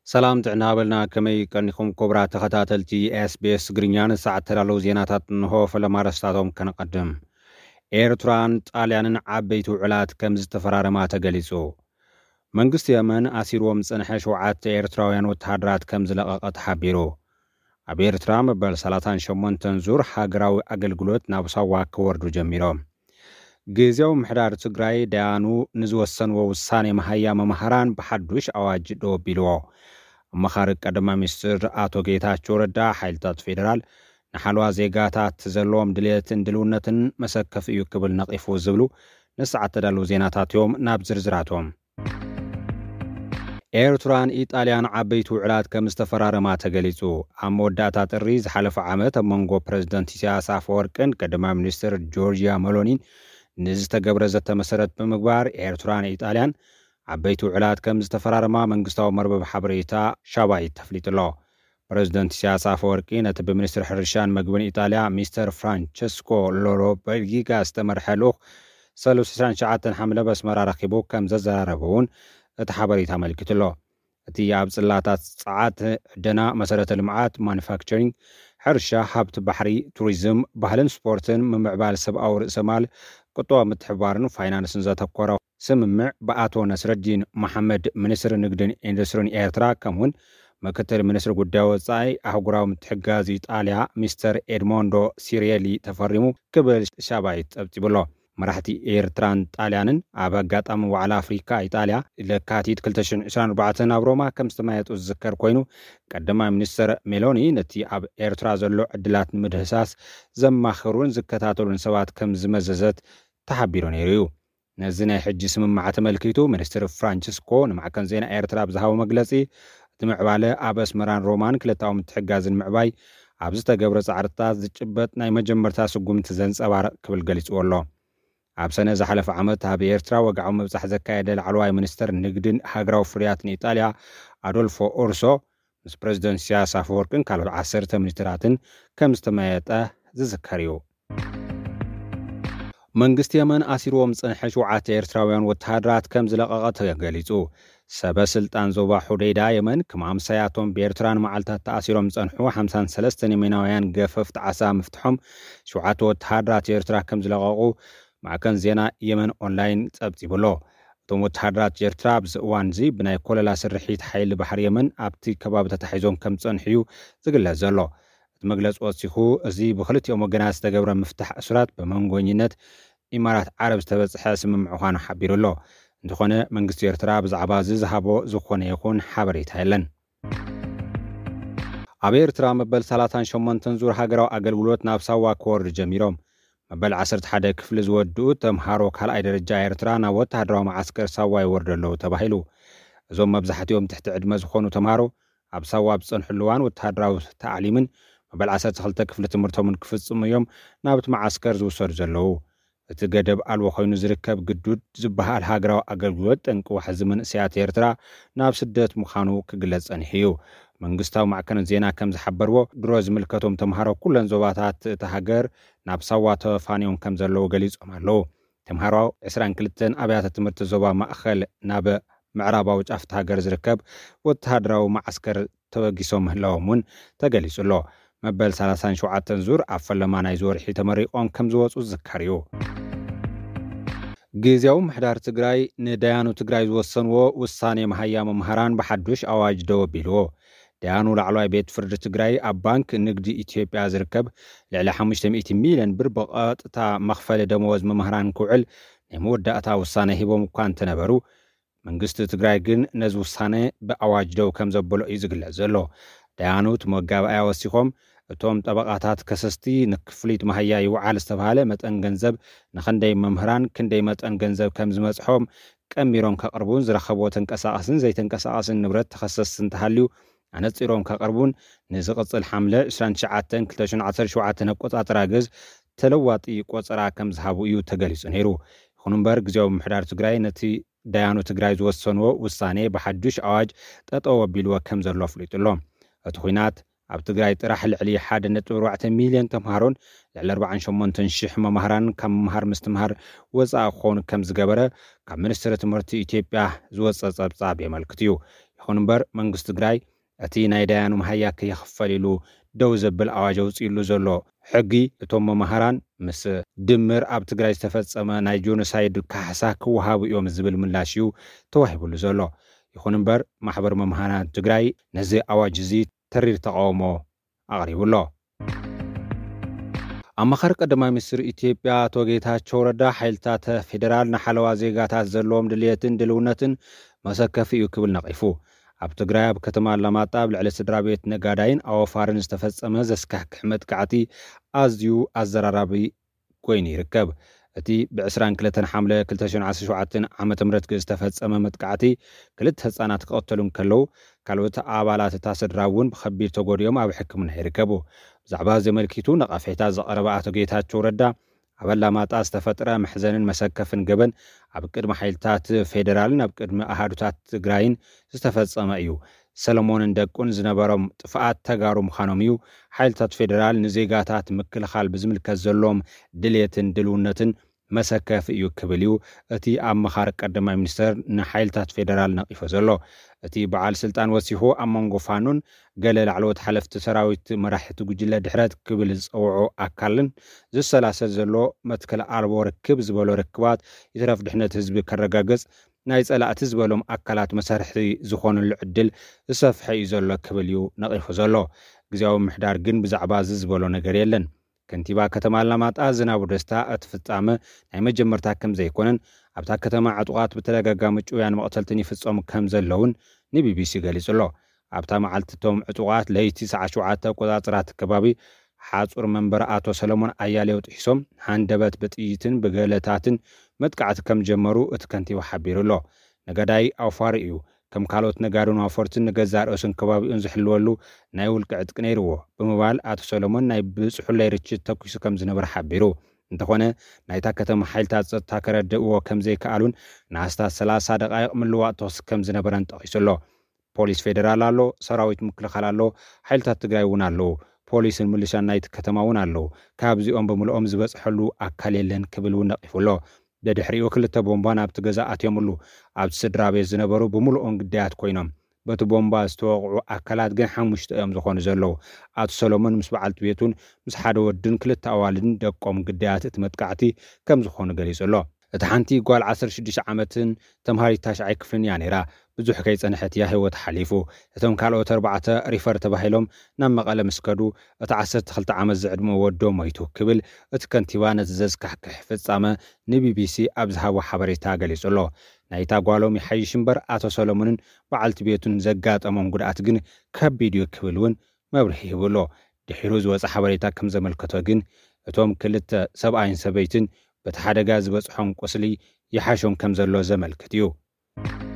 ሰላም ጥዕና በልና። ከመይ ቀኒኹም ክቡራት ተኸታተልቲ ኤስቢኤስ ትግርኛ? ንሰዓት ተዳለዉ ዜናታት እንሆ። ፈለማ ኣርእስታቶም ከነቐድም። ኤርትራን ጣልያንን ዓበይቲ ውዕላት ከም ዝተፈራረማ ተገሊጹ። መንግስቲ የመን ኣሲርዎም ዝጸንሐ ሸውዓተ ኤርትራውያን ወተሃደራት ከም ዝለቐቐ ተሓቢሩ። ኣብ ኤርትራ መበል ሰላሳን ሸሞንተን ዙር ሃገራዊ ኣገልግሎት ናብ ሳዋ ክወርዱ ጀሚሮም። ግዜያዊ ምሕዳር ትግራይ ደያኑ ንዝወሰንዎ ውሳኔ መሃያ መምሃራን ብሓዱሽ ኣዋጅ ደው ኣቢልዎ። ኣመኻሪ ቀዳማይ ሚኒስትር ኣቶ ጌታቸው ረዳ፣ ሓይልታት ፌዴራል ንሓለዋ ዜጋታት ዘለዎም ድልየትን ድልውነትን መሰከፊ እዩ ክብል ነቒፉ ዝብሉ ንሰዓት ተዳለዉ ዜናታት እዮም። ናብ ዝርዝራቶም። ኤርትራን ኢጣልያን ዓበይቲ ውዕላት ከም ዝተፈራረማ ተገሊጹ። ኣብ መወዳእታ ጥሪ ዝሓለፈ ዓመት ኣብ መንጎ ፕረዚደንት ኢሳያስ ኣፈወርቅን ቀዳማይ ሚኒስትር ጆርጂያ መሎኒን ንዝተገብረ ዘተ መሰረት ብምግባር፣ ኤርትራን ኢጣልያን ዓበይቲ ውዕላት ከም ዝተፈራረማ መንግስታዊ መርበብ ሓበሬታ ሻባይት ተፍሊጡ ኣሎ። ፕረዚደንት ኢሳያስ ኣፈወርቂ ነቲ ብሚኒስትሪ ሕርሻን መግብን ኢጣልያ ሚስተር ፍራንቸስኮ ሎሎበርጊጋ ዝተመርሐ ልኡኽ ሰሉስ ዕስራን ትሽዓተን ሓምለ በስመራ ረኺቡ ከም ዘዘራረበ እውን እቲ ሓበሬታ ኣመልኪቱ ኣሎ። እቲ ኣብ ጽላታት ጸዓት፣ ዕደና፣ መሰረተ ልምዓት፣ ማኑፋክቸሪንግ፣ ሕርሻ፣ ሃብቲ ባሕሪ፣ ቱሪዝም፣ ባህልን ስፖርትን፣ ምምዕባል ሰብኣዊ ርእሰ ማል፣ ቁጠባዊ ምትሕብባርን ፋይናንስን ዘተኮረ ስምምዕ ብኣቶ ነስረዲን መሓመድ፣ ሚኒስትሪ ንግድን ኢንዱስትሪን ኤርትራ፣ ከምኡውን ምክትል ሚኒስትሪ ጉዳይ ወጻኢ ኣህጉራዊ ምትሕግጋዝ ኢጣልያ ሚስተር ኤድሞንዶ ሲሪየሊ ተፈሪሙ ክብል ሻባይት ጸብጺቡ ኣሎ። መራሕቲ ኤርትራን ጣልያንን ኣብ ኣጋጣሚ ዋዕላ ኣፍሪካ ኢጣልያ ለካቲት ክልተ ሽሕን ዕስራን ኣርባዕተን ኣብ ሮማ ከም ዝተመያየጡ ዝዝከር ኮይኑ፣ ቀዳማይ ሚኒስትር ሜሎኒ ነቲ ኣብ ኤርትራ ዘሎ ዕድላት ንምህሳስ ዘማኽሩን ዝከታተሉን ሰባት ከም ዝመዘዘት ተሓቢሩ ነይሩ እዩ። ነዚ ናይ ሕጂ ስምምዕ ተመልኪቱ ሚኒስትር ፍራንቸስኮ ንማዕከን ዜና ኤርትራ ብዝሃቦ መግለጺ፣ እቲ ምዕባለ ኣብ ኣስመራን ሮማን ክልታዊ ምትሕግጋዝን ምዕባይ ኣብ ዝተገብረ ጻዕርታት ዝጭበጥ ናይ መጀመርታ ስጉምቲ ዘንጸባርቕ ክብል ገሊጽዎ ኣሎ። ኣብ ሰነ ዝሓለፈ ዓመት ኣብ ኤርትራ ወግዓዊ ምብጻሕ ዘካየደ ላዕለዋይ ሚኒስተር ንግድን ሃገራዊ ፍርያትን ኢጣልያ ኣዶልፎ ኦርሶ ምስ ፕረዚደንት ኢሳያስ ኣፈወርቅን ካልኦት ዓሰርተ ሚኒስትራትን ከም ዝተመያየጠ ዝዝከር እዩ። መንግስቲ የመን ኣሲርዎም ዝጸንሐ ሸውዓተ ኤርትራውያን ወተሃደራት ከም ዝለቐቐ ተገሊጹ። ሰበ ስልጣን ዞባ ሑደይዳ የመን፣ ከም ኣምሳያቶም ብኤርትራ ንመዓልታት ተኣሲሮም ዝጸንሑ ሓምሳን ሰለስተን የመናውያን ገፈፍቲ ዓሳ ምፍትሖም፣ ሸውዓተ ወተሃደራት ኤርትራ ከም ዝለቐቑ ማዕከን ዜና የመን ኦንላይን ጸብጺቡ ኣሎ። እቶም ወተሃደራት ኤርትራ ኣብዚ እዋን እዚ ብናይ ኮለላ ስርሒት ሓይሊ ባሕሪ የመን ኣብቲ ከባቢ ተታሒዞም ከም ዝጸንሑ እዩ ዝግለጽ ዘሎ። እቲ መግለጺ ወሲኹ፣ እዚ ብክልቲኦም ወገናት ዝተገብረ ምፍታሕ እሱራት ብመንጎኝነት ኢማራት ዓረብ ዝተበጽሐ ስምምዕ ምዃኑ ሓቢሩ ኣሎ። እንተኾነ፣ መንግስቲ ኤርትራ ብዛዕባ እዚ ዝሃቦ ዝኾነ ይኹን ሓበሬታ የለን። ኣብ ኤርትራ መበል ሰላሳን ሸሞንተን ዙር ሃገራዊ ኣገልግሎት ናብ ሳዋ ክወርዱ ጀሚሮም። መበል ዓሰርተ ሓደ ክፍሊ ዝወድኡ ተምሃሮ ካልኣይ ደረጃ ኤርትራ ናብ ወተሃደራዊ መዓስከር ሳዋ ይወርዱ ኣለዉ ተባሂሉ። እዞም መብዛሕትኦም ትሕቲ ዕድመ ዝኾኑ ተምሃሮ ኣብ ሳዋ ኣብ ዝጸንሕሉ እዋን ወተሃደራዊ ታዕሊምን መበል ዓሰርተ ክልተ ክፍሊ ትምህርቶምን ክፍጽሙ እዮም ናብቲ መዓስከር ዝውሰዱ ዘለዉ። እቲ ገደብ ኣልቦ ኮይኑ ዝርከብ ግዱድ ዝበሃል ሃገራዊ ኣገልግሎት ጠንቂ ዋሕዚ መንእሰያት ኤርትራ ናብ ስደት ምዃኑ ክግለጽ ጸኒሑ እዩ። መንግስታዊ ማዕከናት ዜና ከም ዝሓበርዎ፣ ድሮ ዝምልከቶም ተምሃሮ ኩለን ዞባታት እታ ሃገር ናብ ሳዋ ተፋንዮም ከም ዘለዉ ገሊጾም ኣለዉ። ተምሃሮ ዕስራን ክልተን ኣብያተ ትምህርቲ ዞባ ማእኸል ናብ ምዕራባዊ ጫፍ እታ ሃገር ዝርከብ ወተሃደራዊ መዓስከር ተበጊሶም ምህላዎም እውን ተገሊጹ ኣሎ። መበል ሰላሳን ሸውዓተን ዙር ኣብ ፈለማ ናይዚ ወርሒ ተመሪቖም ከም ዝወጹ ዝዝከር እዩ። ግዝያዊ ምሕዳር ትግራይ ንዳያኑ ትግራይ ዝወሰንዎ ውሳኔ መሃያ መምሃራን ብሓዱሽ ኣዋጅ ደው ኣቢልዎ። ዳያኑ ላዕለዋይ ቤት ፍርዲ ትግራይ ኣብ ባንክ ንግዲ ኢትዮጵያ ዝርከብ ልዕሊ ሓሙሽተ ሚእቲ ሚልዮን ብር ብቐጥታ መኽፈሊ ደመወዝ መምህራን ክውዕል ናይ መወዳእታ ውሳነ ሂቦም እኳ እንተነበሩ፣ መንግስቲ ትግራይ ግን ነዚ ውሳነ ብኣዋጅ ደው ከም ዘበሎ እዩ ዝግለጽ ዘሎ። ዳያኑ እቲ መጋባእያ ወሲኾም፣ እቶም ጠበቓታት ከሰስቲ ንክፍሊት መሃያ ይውዓል ዝተባህለ መጠን ገንዘብ ንኽንደይ መምህራን ክንደይ መጠን ገንዘብ ከም ዝመጽሖም ቀሚሮም ከቕርቡን ዝረኸብዎ ተንቀሳቓስን ዘይተንቀሳቓስን ንብረት ተኸሰስቲ እንተሃልዩ ኣነጺሮም ከቕርቡን ንዝቕጽል ሓምለ ዕስራን ትሽዓተን ክልተ ሽሕን ዓሰርተ ሸውዓተን ኣቆጻጽራ ግዝ ተለዋጢ ቆጸራ ከም ዝሃቡ እዩ ተገሊጹ ነይሩ። ይኹን እምበር ግዝያዊ ምምሕዳር ትግራይ ነቲ ዳያኑ ትግራይ ዝወሰንዎ ውሳኔ ብሓዱሽ ኣዋጅ ጠጠው ኣቢልዎ ከም ዘሎ ኣፍሊጡ ኣሎ። እቲ ኹናት ኣብ ትግራይ ጥራሕ ልዕሊ ሓደ ነጥቢ ኣርባዕተ ሚልዮን ተምሃሮን ልዕሊ ኣርባዓን ሸሞንተን ሽሕ መማህራንን ካብ ምምሃር ምስትምሃር ወፃኢ ክኾኑ ከም ዝገበረ ካብ ሚኒስትሪ ትምህርቲ ኢትዮጵያ ዝወፀ ፀብፃብ የመልክት እዩ። ይኹን እምበር መንግስቲ ትግራይ እቲ ናይ ዳያኑ መሃያ ከይኽፈል ኢሉ ደው ዘብል ኣዋጅ ኣውፂእሉ ዘሎ ሕጊ እቶም መማህራን ምስ ድምር ኣብ ትግራይ ዝተፈጸመ ናይ ጆኖሳይድ ካሕሳ ክወሃቡ እዮም ዝብል ምላሽ እዩ ተዋሂብሉ ዘሎ። ይኹን እምበር ማሕበር መምሃራን ትግራይ ነዚ ኣዋጅ እዚ ተሪር ተቃውሞ ኣቕሪቡ ኣሎ። ኣማኻሪ ቀዳማይ ሚኒስትር ኢትዮጵያ ኣቶ ጌታቸው ረዳ ሓይልታት ፌዴራል ንሓለዋ ዜጋታት ዘለዎም ድልየትን ድልውነትን መሰከፊ እዩ ክብል ነቒፉ። ኣብ ትግራይ ኣብ ከተማ ኣላማጣ ኣብ ልዕሊ ስድራ ቤት ነጋዳይን ኣወፋርን ዝተፈጸመ ዘስካሕክሕ መጥቃዕቲ ኣዝዩ ኣዘራራቢ ኮይኑ ይርከብ። እቲ ብ22 ሓምለ 2017 ዓመተ ምህረት ዝተፈጸመ መጥቃዕቲ ክልተ ህጻናት ክቐተሉ እንከለዉ ካልኦት ኣባላት እታ ስድራ እውን ብኸቢድ ተጎዲኦም ኣብ ሕክምና ይርከቡ። ብዛዕባ ዘመልኪቱ ነቐፌታ ዘቐረበ ኣቶ ጌታቸው ረዳ ኣብ ኣላማጣ ዝተፈጥረ መሕዘንን መሰከፍን ገበን ኣብ ቅድሚ ሓይልታት ፌዴራልን ኣብ ቅድሚ ኣሃዱታት ትግራይን ዝተፈጸመ እዩ። ሰለሞንን ደቁን ዝነበሮም ጥፍኣት ተጋሩ ምዃኖም እዩ። ሓይልታት ፌዴራል ንዜጋታት ምክልኻል ብዝምልከት ዘለዎም ድልየትን ድልውነትን መሰከፊ እዩ ክብል እዩ እቲ ኣመኻሪ ቀዳማይ ሚኒስተር ንሓይልታት ፌዴራል ነቒፎ ዘሎ። እቲ በዓል ስልጣን ወሲኹ ኣብ መንጎ ፋኖን ገለ ላዕለዎት ሓለፍቲ ሰራዊት መራሕቲ ጉጅለ ድሕረት ክብል ዝጸውዖ ኣካልን ዝሰላሰል ዘሎ መትከል ኣልቦ ርክብ ዝበሎ ርክባት ይትረፍ ድሕነት ህዝቢ ከረጋግጽ ናይ ጸላእቲ ዝበሎም ኣካላት መሳርሒ ዝኾኑሉ ዕድል ዝሰፍሐ እዩ ዘሎ ክብል እዩ ነቒፉ ዘሎ። ግዜያዊ ምሕዳር ግን ብዛዕባ እዚ ዝበሎ ነገር የለን። ከንቲባ ከተማ ኣላማጣ ዝናቡ ደስታ እቲ ፍጻመ ናይ መጀመርታ ከም ዘይኮነን ኣብታ ከተማ ዕጡቓት ብተደጋጋሚ ጭውያን መቕተልትን ይፍጸሙ ከም ዘለውን ንቢቢሲ ገሊጹ ኣሎ። ኣብታ መዓልቲ እቶም ዕጡቓት ለይቲ ሰዓት ሸውዓተ ኣቆጻጽራ እቲ ከባቢ ሓጹር መንበሪ ኣቶ ሰለሞን ኣያሌው ጥሒሶም ሃንደበት ብጥይትን ብገለታትን መጥቃዕቲ ከም ጀመሩ እቲ ከንቲባ ሓቢሩ ኣሎ። ነጋዳይ ኣውፋሪ እዩ። ከም ካልኦት ነጋዶን ኣውፈርትን ንገዛእ ርእሱን ከባቢኡን ዝሕልወሉ ናይ ውልቂ ዕጥቂ ነይርዎ ብምባል ኣቶ ሰሎሞን ናይ ብጽሑለይ ርችት ተኩሱ ከም ዝነበረ ሓቢሩ። እንተኾነ ናይታ ከተማ ሓይልታት ጸጥታ ከረድእዎ ከም ዘይከኣሉን ንኣስታት ሰላሳ ደቓይቕ ምልዋጥ ተኹሲ ከም ዝነበረን ጠቒሱ ኣሎ። ፖሊስ ፌደራል ኣሎ፣ ሰራዊት ምክልኻል ኣሎ፣ ሓይልታት ትግራይ እውን ኣለዉ። ፖሊስን ምልሻን ናይቲ ከተማ እውን ኣለዉ። ካብዚኦም ብምልኦም ዝበጽሐሉ ኣካል የለን ክብል እውን ነቒፉ ኣሎ። ደድሕሪኡ ክልተ ቦምባ ናብቲ ገዛ ኣትዮምሉ። ኣብቲ ስድራ ቤት ዝነበሩ ብምልኦም ግዳያት ኮይኖም። በቲ ቦምባ ዝተወቕዑ ኣካላት ግን ሓሙሽተ እዮም ዝኾኑ ዘለዉ። ኣቶ ሰሎሞን ምስ በዓልቲ ቤቱን ምስ ሓደ ወድን ክልተ ኣዋልድን ደቆም ግዳያት እቲ መጥቃዕቲ ከም ዝኾኑ ገሊጹ ኣሎ። እታ ሓንቲ ጓል ዓሰርተ ሽዱሽተ ዓመትን ተምሃሪት ታሽዓይ ክፍልን እያ ነይራ። ብዙሕ ከይጸንሐት እያ ህይወት ሓሊፉ። እቶም ካልኦት ኣርባዕተ ሪፈር ተባሂሎም ናብ መቐለ ምስ ከዱ፣ እቲ ዓሰርተ ክልተ ዓመት ዝዕድመ ወዶ ሞይቱ ክብል እቲ ከንቲባ ነቲ ዘስካሕክሕ ፍጻመ ንቢቢሲ ኣብ ዝሃቦ ሓበሬታ ገሊጹ ኣሎ። ናይታ ጓሎም ይሓይሽ እምበር ኣቶ ሰሎሞንን በዓልቲ ቤቱን ዘጋጠሞም ጉድኣት ግን ከቢድ እዩ ክብል እውን መብርሂ ሂቡ ኣሎ። ድሒሩ ዝወጸ ሓበሬታ ከም ዘመልከቶ ግን እቶም ክልተ ሰብኣይን ሰበይትን በቲ ሓደጋ ዝበጽሖም ቁስሊ ይሓሾም ከም ዘሎ ዘመልክት እዩ።